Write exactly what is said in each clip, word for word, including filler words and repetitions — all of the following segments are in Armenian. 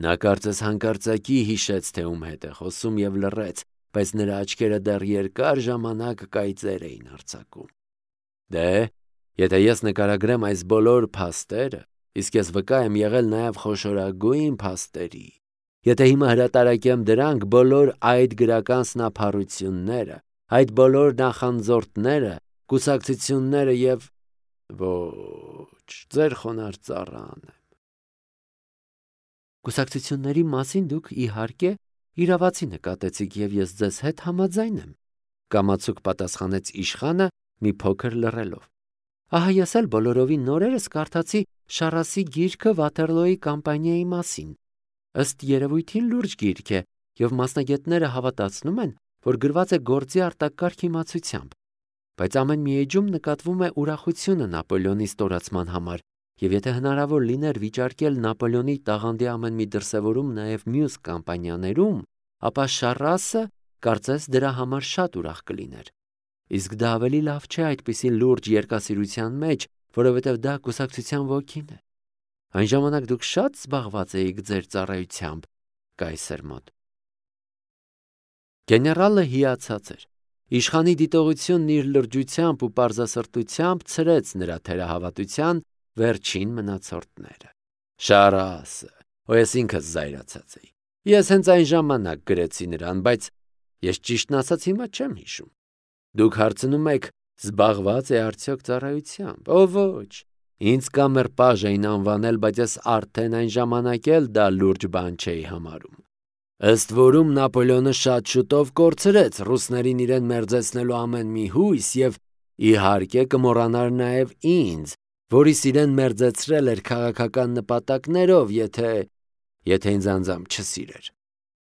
Նա կարծես հանկարծակի հիշեց, թե ում հետ է խոսում և լռեց, բայց նրա աչքերը դեռ երկար ժամանակ կայծեր էին արձակում։ Դե, եթե ես նկարագրեմ այս բոլոր փաստերը, իսկ ես վկա եմ եղել նաև խոշորագույն փաստերի, եթե հիմա հրատարակեմ դրանք, բոլոր այդ գրական սնափառությունները, այդ բոլոր նախանձորդները, կուսակցությունները և… ոչ, ձեր խոնարհ ծառան եմ։ Կուսակցությունների մասին դուք, իհարկե, իրավացի նկատեցիք և ես ձեզ հետ համաձայն եմ, կամացուկ պատասխանեց իշխանը մի փոքր լռելով։ Ահա ես էլ բոլորովին նորերս կարդացի Շառասի գիրքը Վաթերլոյի կամպանիայի մասին։ Ըստ երևույթին լուրջ գիրք է, և մասնագետները հավատացնում են, որ գրված է գործի արտակարգ իմացությամբ, բայց ամեն մի էջում նկատվում է ուրախությունը Նապոլեոնի ստորացման համար, և եթե հնարավոր լիներ վիճարկել Նապոլեոնի տաղանդի ամեն մի դրսևորում նաև մյուս կամպանիաներում, ապա Շառասը կարծես դրա համար շատ ուրախ կլիներ։ Իսկ դա ավելի լավ չէ այդպիսի լուրջ երկասիրության մեջ, որովհետև դա կուսակցության ոգին է։ Այն ժամանակ դուք շատ զբաղված էիք ձեր ծառայությամբ կայսր մոտ։ Գեներալը հիացած էր։ Իշխանի դիտողությունն իր լրջությամբ ու պարզասրտությամբ ցրեց նրա թերահավատության վերջին մնացորդները։ Շառասը, ու ես ինքս զայրացած էի։ Ես հենց այն ժամանակ գրեցի նրան, բայց ես ճիշտն ասած հիմա չեմ հիշում։ Դուք հարցնում եք, զբաղված է արդյոք ծառայությամբ։ Ո ոչ, ինձ կամեր պաժ էին անվանել, բայց ես արդեն այն ժամանակ էլ դա լուրջ բան չէի համարում։ Ըստ որում Նապոլեոնը շատ շուտով կորցրեց ռուսներին իրեն մերձեցնելու ամեն մի հույս և իհարկե կմոռանար նաև ինձ, որից իրեն մերձեցրել էր քաղաքական նպատակներով, եթե… եթե ինձ անձամբ չսիրեր։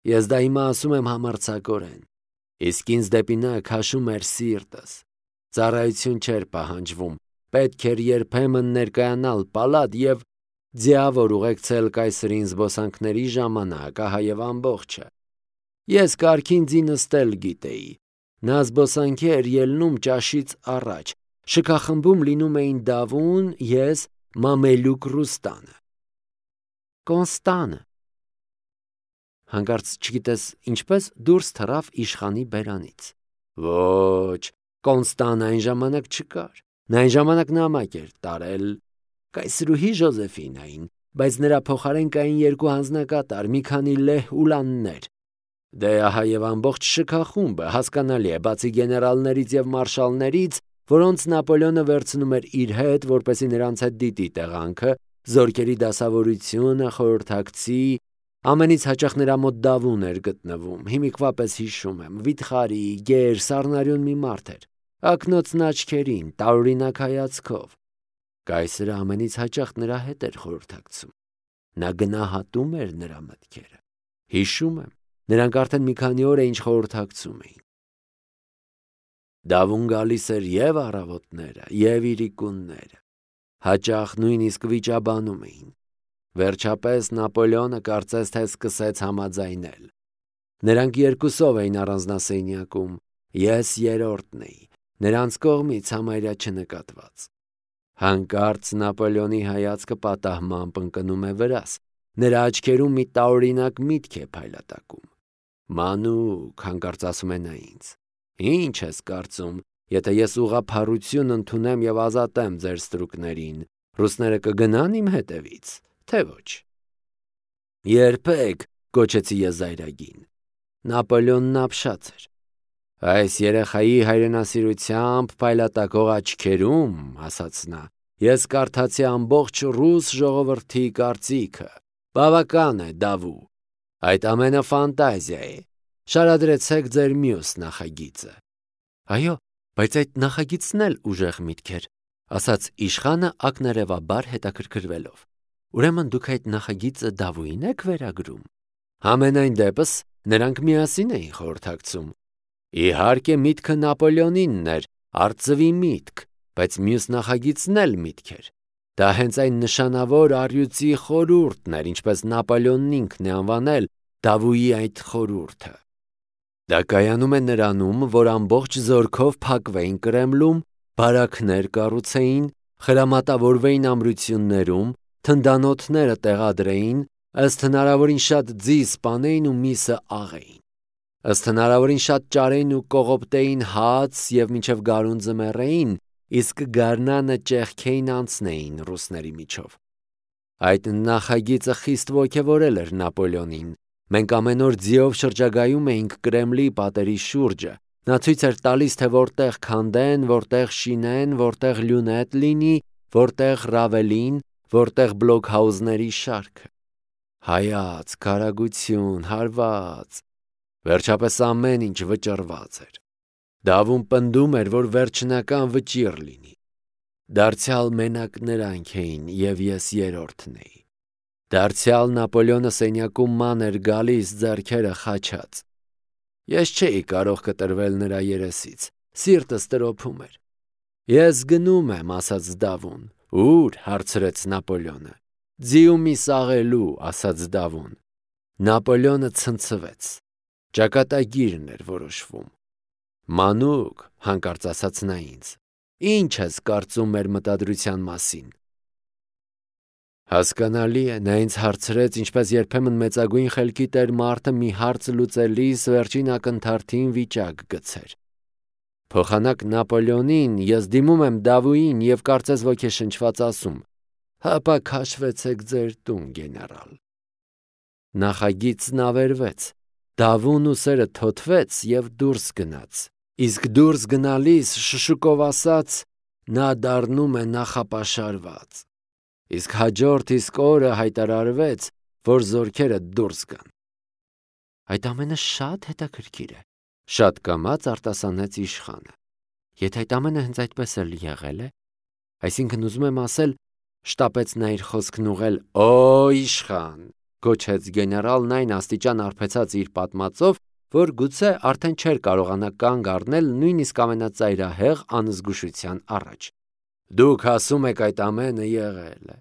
Ես դա հիմա ասում եմ համարձակորեն, իսկ ինձ դեպի նա քաշում էր սիրտս։ Ծառայություն չէր պահանջվում, պետք էր երբեմն ներկայանալ պալատ և ձիավոր ուղեկցել կայսրին զբոսանքների ժամանակ, ահա և ամբողջը։ Ես կարգին ձի նստել գիտեի։ Նա զբոսանքի էր ելնում ճաշից առաջ, շքախմբում լինում էին Դավուն, ես, Մամելուկ Ռուստանը։ Կոնստանը։ Հանկարծ չգիտես ինչպես դուրս թռավ իշխանի բերանից։ Ոչ, Կոնստան այն ժամանակ չկար։ Նա այն ժամանակ նամակ էր տարել կայսրուհի Ժոզեֆինային, բայց նրա փոխարեն կային երկու հանձնակատար, մի քանի լեհ ուլաններ։ Դե ահա և ամբողջ շքախումբը, հասկանալի է, բացի գեներալներից և մարշալներից, որոնց Նապոլեոնը վերցնում էր իր հետ, որպեսզի նրանց հետ դիտի տեղանքը, զորքերի դասավորությունը, խորհրդակցի, ամենից հաճախ նրա մոտ Դավուն էր գտնվում, հիմիկվա պես հիշում եմ, վիթխարի, գեր, սառնարյուն մի մարդ էր, ակնոցն աչքերին, տարօրինակ հայացքով։ Կայսրը ամենից հաճախ նրա հետ էր խորհրդակցում։ Նա գնահատում էր նրա մտքերը։ Հիշում եմ, նրանք արդեն մի քանի օր է ինչ խորհրդակցում էին։ Դավուն գալիս էր և առավոտները, և իրիկունները, հաճախ նույնիսկ վիճաբանում էին։ Վերջապես Նապոլեոնը կարծես թե սկսեց համաձայնել։ Նրանք երկուսով էին առանձնասենյակում, ես երրորդն էի, նրանց կողմից համարյա չնկատված։ Հանկարծ Նապոլեոնի հայացքը պատահմամբ ընկնում է վրաս, նրա աչքերում մի տարօրինակ միտք է փայլատակում։ Մանուկ, հանկարծ ասում է նա ինձ, ի՞նչ ես կարծում, եթե ես ուղղափառություն ընդունեմ և ազատեմ ձեր ստրուկներին, ռուսները կգնան իմ հետևից, թե ոչ։ Երբեք, կոչեցի ես զայրագին։ Նապոլեոնն ապշած էր։ Այս երեխայի հայրենասիրությամբ փայլատակող աչքերում, ասաց նա, ես կարդացի ամբողջ ռուս ժողովրդի կարծիքը։ Բավական է, Դավու, այդ ամենը ֆանտազիա է։ Շարադրեցեք ձեր մյուս նախագիծը։ Այո, բայց այդ նախագիծն էլ ուժեղ միտք էր, ասաց իշխանը ակնարևաբար հետաքրքրվելով։ Ուրեմն դուք այդ նախագիծը Դավուին եք վերագրում։ Համենայն դեպս նրանք միասին էին խորհրդակցում։ Իհարկե միտքը Նապոլեոնինն էր, արծվի միտք, բայց մյուս նախագիծն էլ միտք էր։ Դա հենց այն նշանավոր առյուծի խորհուրդն էր, ինչպես Նապոլեոնն ինքն է անվանել Դավուի այդ խորհուրդը։ Դա կայանում է նրանում, որ ամբողջ զորքով փակվեին Կրեմլում, բարաքներ կառուցեին, խրամատավորվեին ամրություններում, թնդանոթները տեղադրեին, ըստ հնարավորին շատ ձի սպանեին ու միսը աղեին, ըստ հնարավորին շատ ճարեին ու կողոպտեին հաց և մինչև գարունձը մեռեին, իսկ գարնանը ճեղքեին անցնեին ռուսների միջով։ Այդ նախագիծը խիստ ոգևորել էր Նապոլեոնին։ Մենք ամեն օր ձիով շրջագայում էինք Կրեմլի պատերի շուրջը։ Նա ցույց էր տալիս, թե որտեղ քանդեն, որտեղ շինեն, որտեղ լյունետ լինի, որտեղ ռավելին, որտեղ բլոքհաուզների շարքը։ Հայացք, արագություն, հարված։ Վերջապես ամեն ինչ վճռված էր։ Դավում պնդում էր, որ վերջնական վճիռ լինի։ Դարձյալ մենակ նրանք էին, և ես երրորդն էի։ Դարձյալ Նապոլեոնը սենյակում ման էր գալիս, ձեռքերը խաչած։ Ես չէի կարող կտրվել նրա երեսից, սիրտս տրոփում էր։ Ես գնում եմ, ասաց Դավուն։ Ու՞ր, հարցրեց Նապոլեոնը։ Ձիու միս աղելու, ասաց Դավուն։ Նապոլեոնը ցնցվեց։ Ճակատագիրն էր որոշվում։ Մանուկ, հանկարծ ասաց նա ինձ, ի՞նչ ես կարծում մեր մտադրության մասին։ Հասկանալի է, նա ինձ հարցրեց, ինչպես երբեմն մեծագույն խելքի տեր մարդը մի հարց լուծելիս վերջին ակնթարթին վիճակ գցեր։ Փոխանակ Նապոլեոնին ես դիմում եմ Դավուին և կարծես ոգեշնչված ասում. հապա քաշվեցեք ձեր տուն, գեներալ։ Նախագիծն ավերվեց։ Դավուն ուսերը թոթվեց և դուրս գնաց։ Իսկ դուրս գնալիս շշուկով ասաց. նա դառնում է նախապաշարված։ Իսկ հաջորդ իսկ օրը հայտարարվեց, որ զորքերը դուրս գան։ Այդ ամենը շատ հետաքրքիր է, շատ կամաց արտասանեց իշխանը։ Եթե այդ ամենը հենց այդպես էլ եղել է, այսինքն ուզում եմ ասել, շտապեց նա իր խոսքն ուղղել, «Օ, իշխան», գոչեց գեներալն այն աստիճան արբեցած իր պատմածով, որ գուցե արդեն չէր կարողանա կանգ առնել նույնիսկ ամենածայրահեղ անզգուշության առաջ։ Դուք ասում եք այդ ամենը եղել է,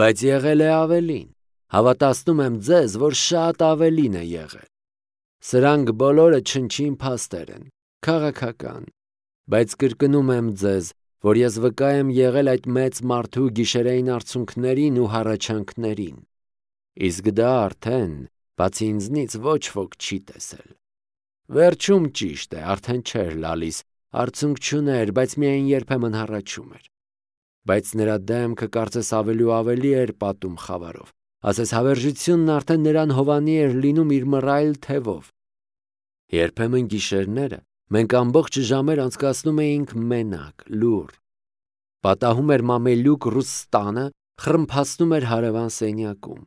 բայց եղել է ավելին։ Հավատացնում եմ ձեզ, որ շատ ավելին է եղել։ Սրանք բոլորը չնչին փաստեր են, քաղաքական, բայց կրկնում եմ ձեզ, որ ես վկա եմ եղել այդ մեծ մարդու գիշերային արցունքներին ու հառաչանքներին։ Իսկ դա արդեն, բացի ինձնից, ոչ ոք չի տեսել։ Վերջում ճիշտ է, արդեն չէր լալիս, արցունք չուներ, բայց միայն երբեմն հառաչում էր։ Բայց նրա դեմքը կարծես ավելի ու ավելի էր պատում խավարով, ասես հավերժությունն արդեն նրան հովանի էր լինում իր մռայլ թևով։ Երբեմն գիշերները մենք ամբողջ ժամեր անցկացնում էինք մենակ, լուռ։ Պատահում էր մամելյուկ ռուս տանը, խռմփացնում էր հարևան սենյակում։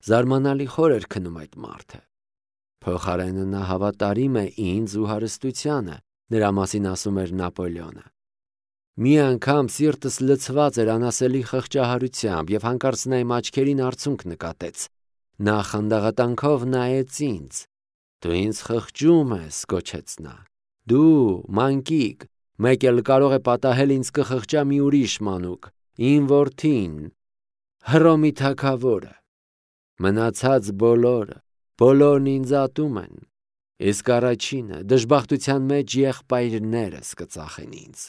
Զարմանալի խոր էր քնում այդ մարդը։ Փոխարենը նա հավատարիմ է ինձ ու հարստությանը, նրա մասին ասում էր Նապոլեոնը։ Մի անգամ սիրտս լցված էր անասելի խղճահարությամբ և հանկարծ նա իմ աչքերին արցունք նկատեց։ Նա խանդաղատանքով նայեց ինձ։ Դու ինձ խղճում ես, գոչեց նա։ Դու, մանկիկ, մեկ էլ կարող է պատահել ինձ կխղճա մի ուրիշ մանուկ, իմ որդին, Հռոմի թագավորը։ Մնացած բոլորը, բոլորն ինձ ատում են, իսկ առաջինը դժբախտության մեջ եղբայրներս կծախեն ինձ։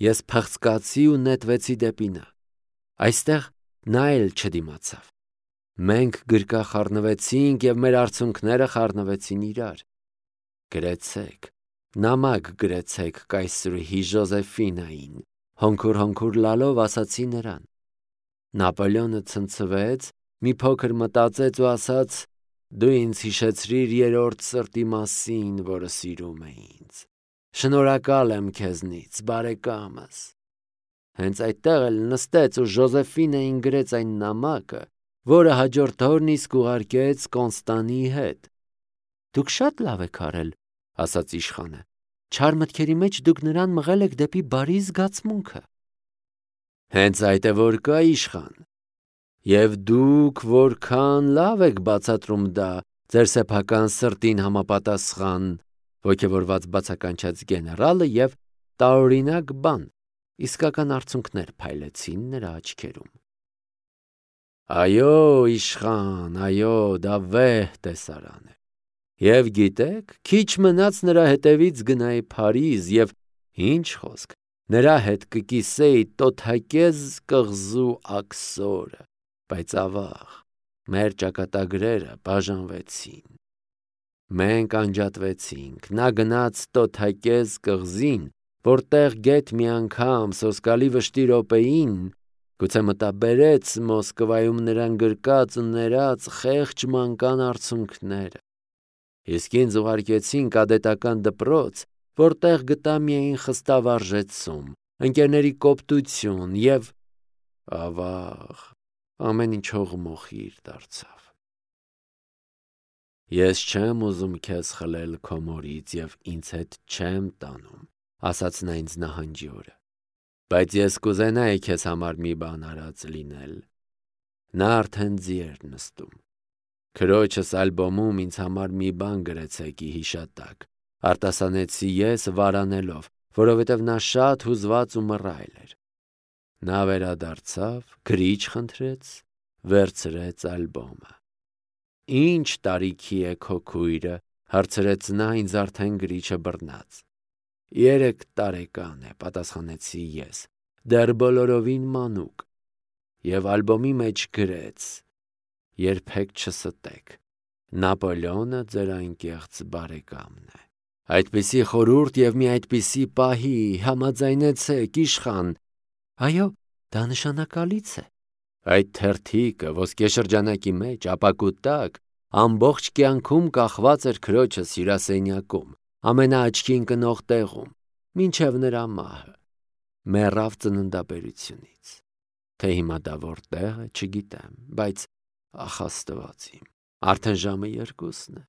Ես փղծկացի ու նետվեցի դեպի նա։ Այստեղ նա էլ չդիմացավ։ Մենք գրկախառնվեցինք և մեր արցունքները խառնվեցին իրար։ Գրեցեք, նամակ գրեցեք կայսրուհի Ժոզեֆինային, հոնքուր-հոնքուր լալով ասացի նրան։ Նապոլեոնը ցնցվեց, մի փոքր մտածեց ու ասաց. դու ինձ հիշեցրիր երրորդ սրտի մասին, որը սիրում է ինձ։ Շնորհակալ եմ քեզնից, բարեկամս։ Հենց այդտեղ էլ նստեց ու Ժոզեֆինային գրեց այն նամակը, որը հաջորդ օրն իսկ ուղարկեց Կոնստանի հետ։ Դուք շատ լավ եք արել, ասաց իշխանը։ Չար մտքերի մեջ դուք նրան մղել եք դեպի բարի զգացմունքը։ Հենց այդ է որ կա, իշխան։ Եվ դուք որքան լավ եք բացատրում դա ձեր սեփական սրտին համապատասխան, ոգևորված բացականչեց գեներալը և տարօրինակ բան, իսկական արցունքներ փայլեցին նրա աչքերում։ Այո, իշխան, այո, դա վեհ տեսարան է։ Եվ գիտեք, քիչ մնաց նրա հետևից գնայի Փարիզ և, ինչ խոսք, նրա հետ կկիսեի տոթակեզ կղզու աքսորը, բայց ավաղ, Մեր ճակատագրերը բաժանվեցին։ Մենք անջատվեցինք, նա գնաց տոթակեզ կղզին, որտեղ գեթ մի անգամ սոսկալի վշտի րոպեին գուցե մտաբերեց Մոսկվայում նրան գրկած ու ներած խեղճ մանկան արցունքները։ Իսկ ինձ ուղարկեցին կադետական դպրոց, որտեղ գտա միայն խստավարժեցում, ընկերների կոպտություն և ավաղ, ամեն ինչ հողմոխիր դարձավ։ Ես չեմ ուզում քեզ խլել քո մորից և ինձ հետ չեմ տանում, ասաց նա ինձ նահանջի օրը, բայց ես կուզենայի քեզ համար մի բան արած լինել։ Նա արդեն ձի էր նստում։ Քրոջս ալբոմում ինձ համար մի բան գրեցեք ի հիշատակ, արտասանեցի ես վարանելով, որովհետև նա շատ հուզված ու մռայլ էր։ Նա վերադարձավ, գրիչ խնդրեց, վերցրեց ալբոմը։ Ինչ տարիքի է քո քույրը, հարցրեց նա ինձ արդեն գրիչը բռնած։ Երեք տարեկան է, պատասխանեցի ես, դեռ բոլորովին մանուկ։ Եվ ալբոմի մեջ գրեց. երբեք չստեք, Նապոլեոնը ձեր անկեղծ բարեկամն է։ Այդպիսի խորհուրդ և մի այդպիսի պահի համաձայնեցեք, իշխան։ Այո, դա նշանակալից է։ Այդ թերթիկը ոսկեշրջանակի մեջ ապակուտակ ամբողջ կյանքում կախված էր քրոջս հյուրասենյակում, ամենաաչքի ընկնող տեղում, մինչև նրա մահը, մեռավ ծննդաբերությունից։ Թե հիմա դա որտեղ է, չգիտեմ, բայց ախ Աստված իմ, արդեն ժամը երկուսն է։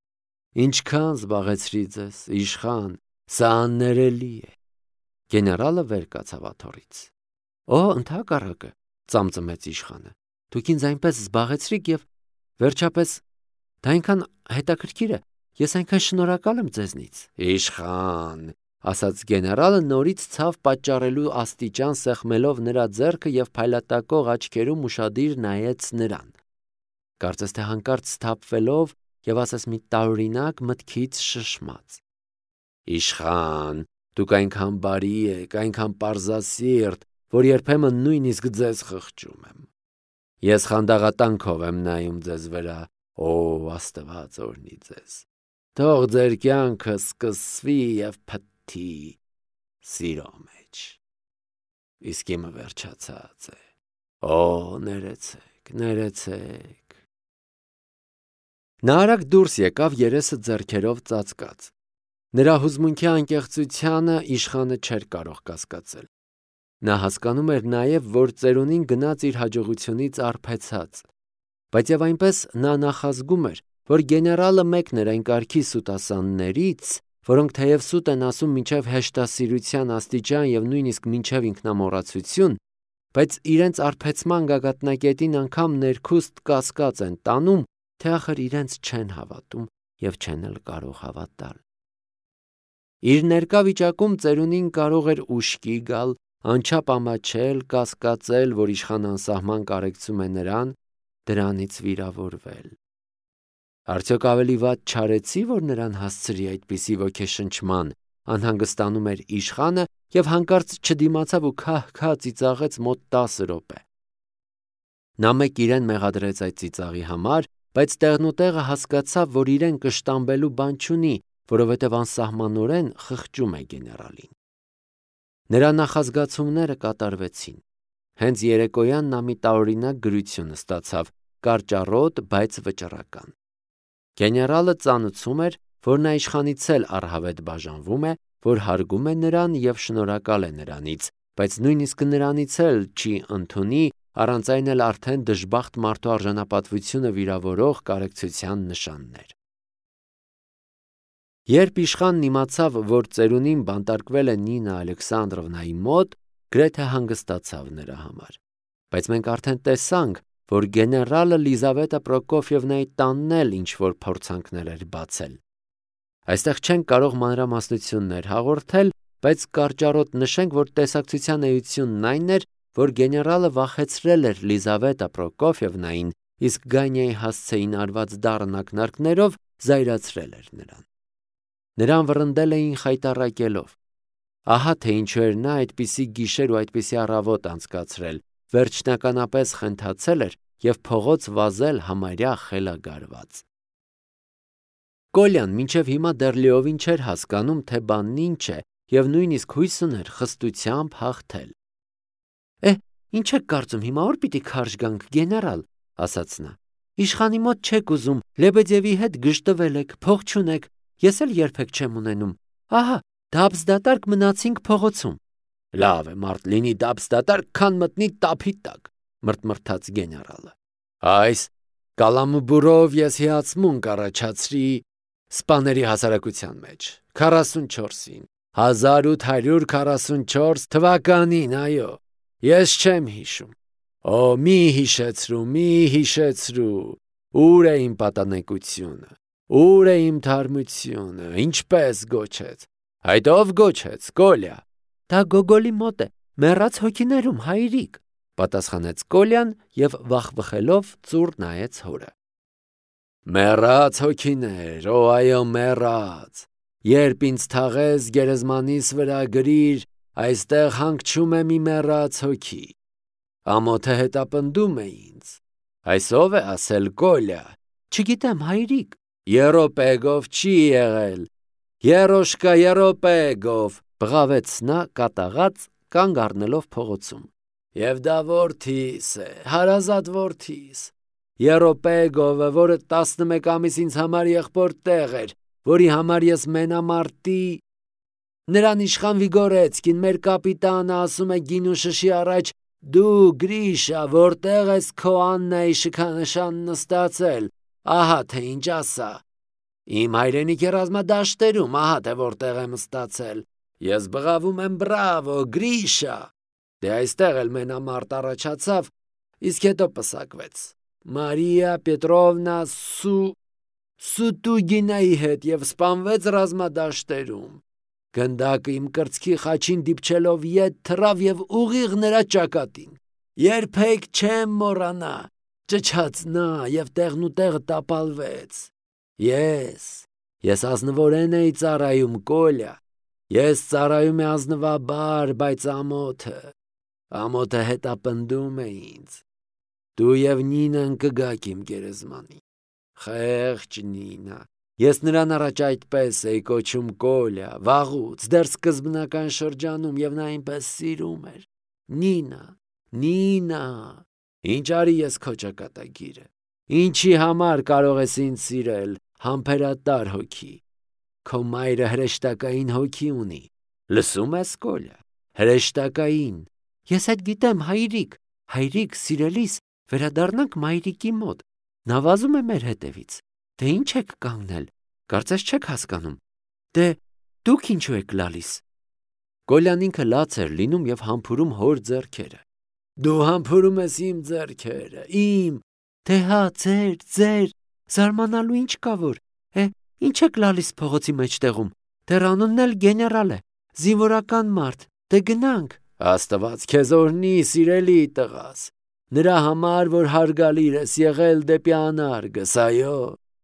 Ինչքան զբաղեցրի ձեզ, իշխան, սա աններելի է։ Գեներալը վեր կացավ աթոռից։ Օ, ընդհակառակը, ծամծմեց իշխանը, դուք ինձ այնպես զբաղեցրիք և վերջապես դա այնքան հետաքրքիր է, ես այնքան շնորհակալ եմ ձեզնից։ Իշխան, ասաց գեներալը նորից ցավ պատճառելու աստիճան սեղմելով նրա ձեռքը և փայլատակող աչքերում ուշադիր նայեց նրան։ Կարծես թե հանկարծ սթափվելով և ասես մի տարօրինակ մտքից շշմած։ Իշխան, դուք այնքան բարի եք, այնքան պարզասիրտ, որ երբեմն նույնիսկ ձեզ խղճում եմ։ Ես խանդաղատանքով եմ նայում ձեզ վրա, օ, Աստված օրհնի ձեզ։ Թող ձեր կյանքը սկսվի և փթթի սիրո մեջ։ Իսկ իմը վերջացած է։ Օ, ներեցեք, ներեցեք։ Նա արագ դուրս եկավ երեսը ձեռքերով ծածկած։ Նրա հուզմունքի անկեղծությանը իշխանը չէր կարող կասկածել։ Նա հասկանում էր նաև, որ ծերունին գնաց իր հաջողությունից արբեցած, բայց և այնպես նա նախազգում էր, որ գեներալը մեկն էր այն կարգի սուտասաններից, որոնք թեև սուտ են ասում մինչև հեշտասիրության աստիճան և նույնիսկ մինչև ինքնամոռացություն, բայց իրենց արբեցման գագաթնակետին անգամ ներքուստ կասկած են տանում, թե ախր իրենց չեն հավատում և չեն էլ կարող հավատալ։ Իր ներկա վիճակում ծերունին կարող էր ուշքի գալ, անչափ ամաչել, կասկածել, որ իշխանը անսահման կարեկցում է նրան, դրանից վիրավորվել։ Արդյոք ավելի վատ չարեցի, որ նրան հասցրի այդպիսի ոգեշնչման, անհանգստանում էր իշխանը և հանկարծ չդիմացավ ու քահ-քահ ծիծաղեց մոտ տասը րոպե։ Նա մեկ իրեն մեղադրեց այդ ծիծաղի համար, բայց տեղնուտեղը հասկացավ, որ իրեն կշտամբելու բան չունի, որովհետև անսահմանորեն խղճում է գեներալին։ Նրա նախազգացումները կատարվեցին։ Հենց երեկոյան նա մի տարօրինակ գրություն ստացավ, կարճառոտ, բայց վճռական։ Գեներալը ծանուցում էր, որ նա իշխանից էլ առհավետ բաժանվում է, որ հարգում է նրան և շնորհակալ է նրանից, բայց նույնիսկ նրանից էլ չի ընդունի, առանց այն էլ արդեն դժբախտ մարդու արժանապատվությունը վիրավորող կարեկցության նշաններ։ Երբ իշխանն իմացավ, որ ծերունին բանտարկվել է Նինա Ալեքսանդրովնայի մոտ, գրեթե հանգստացավ նրա համար։ Բայց մենք արդեն տեսանք, որ գեներալը Լիզավետա Պրոկոֆիևնայի տանն էլ ինչ-որ փորձանքներ էր բացել։ Այստեղ չենք կարող մանրամասնություններ հաղորդել, բայց կարճառոտ նշենք, որ տեսակցության էությունն այն էր, որ գեներալը վախեցրել էր Լիզավետա Պրոկոֆիևնային, իսկ Գանյայի հասցեին արված դառն ակնարկներով զայրացրել էր նրան։ Նրան վռնդել էին խայտառակելով։ Ահա թե ինչու էր նա այդպիսի գիշեր ու այդպիսի առավոտ անցկացրել, վերջնականապես խենթացել էր և փողոց վազել համարյա խելագարված։ Կոլյան մինչև հիմա դեռ լիովին չէր հասկանում, թե բանն ինչ է, և նույնիսկ հույս ուներ խստությամբ հաղթել։ «Է, ինչ եք կարծում, հիմա օր պիտի քարշ գանք, գեներալ», ասաց նա։ «Իշխանի մոտ չեք ուզում, Լեբեդևի հետ գժտվել եք, փող չունեք, ես էլ երբեք չեմ ունենում։ Ահա, դաբսդատարկ մնացինք փողոցում»։ «Լավ է, մարդ լինի դաբսդատարկ, քան մտնի տափի տակ», մրթմրթաց գեներալը։ «Այս կալամբուրով ես հիացմունք առաջացրի սպաների հասարակության մեջ, քառասունչորսին, հազար ութ հարյուր քառասունչորս թվականին, այո, ես չեմ հիշում։ Օ, մի հիշեցրու, մի հիշեցրու, ուր է իմ պատանեկությունը, ուր է իմ թարմությունը, ինչպես գոչեց, այդ ով գոչեց, Կոլյա»։ «Դա Գոգոլի մոտ է, մեռած հոգիներում, հայրիկ», պատասխանեց Կոլյան և վախվխելով ծուռ նայեց հորը։ «Մեռած հոգիներ, օ այո, մեռած, երբ ինձ թաղես գերեզմանիս վրա գրիր, այստեղ հանգչում է մի մեռած հոգի, ամոթը հետապնդում է ինձ, այս ով է ասել, Կոլյա»։ «Չգիտեմ, հայրիկ»։ «Եռոպեգով չի եղել, Եռոշկա Եռոպեգով», բղավեց նա կատաղած, կանգ առնելով փողոցում։ «Եվ դա որդիս է, հարազատ որդիս, Եռոպեգովը, որը տասնմեկ ամիս ինձ համար եղբոր տեղ էր, որի համար ես մենամարտի, նրան իշխան Վիգորեցկին, մեր կապիտանը, ասում է գինու շշի առաջ. «Դու, Գրիշա, որտեղ ես քո Աննայի շքանշան նստացել, ահա թե ինչ ասա։ Իմ հայրենիքի ռազմադաշտերում, ահա թե որտեղ եմ ստացել։ Ես բղավում եմ բրավո, Գրիշա»։ Դե այստեղ էլ մենամարտ առաջացավ, իսկ հետո պսակվեց Մարիա Պետրովնա Սու Սուտուգինայի հետ և սպանվեց ռազմադաշտերում։ Գնդակը իմ կրծքի խաչին դիպչելով ետ թռավ և ուղիղ նրա ճակատին։ Երբեք չեմ մոռանա, ճչաց նա և տեղնուտեղը տապալվեց։ Ես, ես ազնվորեն էի ծառայում, Կոլյա, ես ծառայում եմ ազնվաբար, բայց ամոթը, ամոթը հետապնդում է ինձ։ Դու և Նինան կգաք իմ գերեզմանին։ Խեղճ Նինա, ես նրան առաջ այդպես էի կոչում Կոլյա, վաղուց, դեռ սկզբնական շրջանում, և նա այնպես սիրում էր։ Նինա, Նինա, ինչ արի ես քո ճակատագիրը, ինչի համար կարող ես ինձ սիրել, համբերատար հոգի։ Քո մայրը հրեշտակային հոգի ունի, լսում ես, Կոլյա, հրեշտակային։ Ես այդ գիտեմ, հայրիկ, հայրիկ, սիրելիս, վերադառնանք մայրիկի մոտ, նա վազում է մեր հետևից։ Դե ինչ եք կանգնել, կարծես չեք հասկանում։ Դե դուք ինչու եք լալիս։ Կոլյան ինքը լաց էր լինում և համբուրում հոր ձեռքերը։ Դու համբուրում ես իմ ձեռքերը, իմ։ Դե հա, ձեր, ձեր, զարմանալու ինչ կա որ։ Է, ինչ եք լալիս փողոցի մեջտեղում, դեռ անունն էլ գեներալ է, զինվորական մարդ, դե գնանք։ Աստված քեզ օրհնի, սիրելի տղաս, նրա համար, որ հարգալիր ես եղել դեպի անարգս, այո,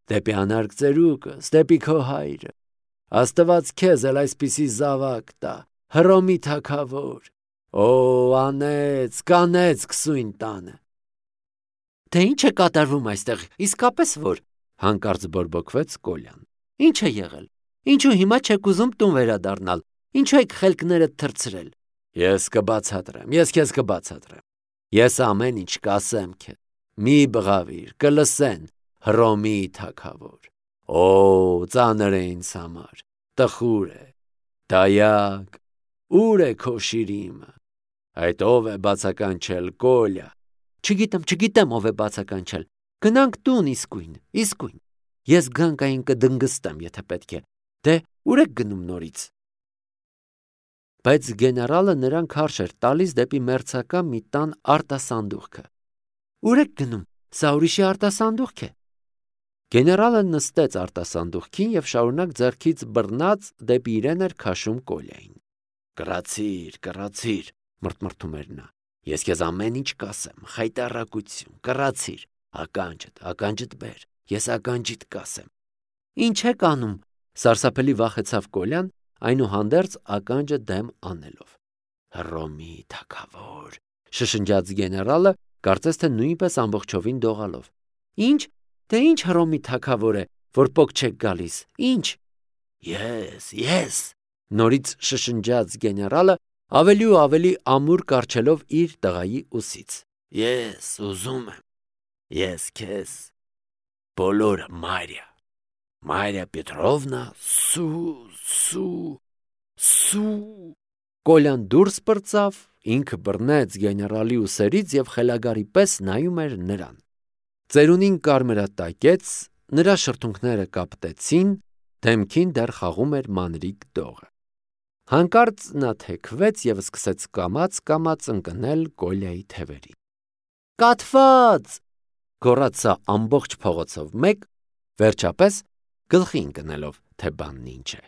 դեպի անարգ ծերուկս, դեպի քո հայրը։ Աստված քեզ էլ այսպիսի զավակ տա, Հռոմի թագավոր։ Օ, անեց, կանեց քսույն տանը։ Թե ինչ է կատարվում այստեղ, իսկապես որ, հանկարծ բորբոքվեց Կոլյան։ Ինչ է եղել։ Ինչու հիմա չեք ուզում տուն վերադառնալ, ինչու եք խելքներդ թռցրել։ Ես կբացատրեմ, ես քեզ կբացատրեմ։ Ես ամեն ինչ կասեմ քեզ։ Մի բղավիր, կլսեն, Հռոմի թագավոր։ Օ, ծանր է ինձ համար, տխուր է, դայակ, ուր է քո շիրիմը։ Այդ ով է բացականչել, Կոլյա։ Չգիտեմ, չգիտեմ ով է բացականչել։ Գնանք տուն իսկույն, իսկույն։ Ես գանկային կդնգստեմ, եթե պետք է։ Դե ուր եք գնում նորից։ Բայց գեներալը նրան քարշ էր տալիս դեպի մերձակա մի տան արտասանդուղքը։ Ուր եք գնում, սա ուրիշի արտասանդուղք է։ Գեներալը նստեց արտասանդուղքին և շարունակ ձեռքից բռնած դեպի իրեն էր քաշում Կոլյային։ Կռացիր, կռացիր, մրթմրթում էր նա։ Ես քեզ ամեն ինչ կասեմ, խայտառակություն, կռացիր, ականջդ, ականջդ բեր, ես ականջիդ կասեմ։ Ինչ եք անում, սարսափելի վախեցավ Կոլյան, այնուհանդերձ ականջը դեմ անելով։ Հռոմի թագավոր, շշնջաց գեներալը կարծես թե նույնպես ամբողջովին դողալով։ Ինչ, թե ինչ Հռոմի թագավոր է, որ պոկ չեք գալիս, ինչ։ Ես, ես, նորից շշնջաց գեներալը, ավելի ու ավելի ամուր կառչելով իր տղայի ուսից։ Ես ուզում եմ, ես քեզ, բոլորը Մարիա, Մարիա Պետրովնա, սու, սու, սու։ Կոլյան դուրս պրծավ, ինքը բռնեց գեներալի ուսերից և խելագարի պես նայում էր նրան։ Ծերունին կարմրատակեց, նրա շրթունքները կապտեցին, դեմքին դեռ խաղում էր մանրիկ դողը։ Հանկարծ նա թեքվեց և սկսեց կամաց-կամաց ընկնել Կոլյայի թևերին։ Կաթված, գոռաց սա ամբողջ փողոցով մեկ, վերջապես գլխի ընկնելով, թե բանն ինչ է։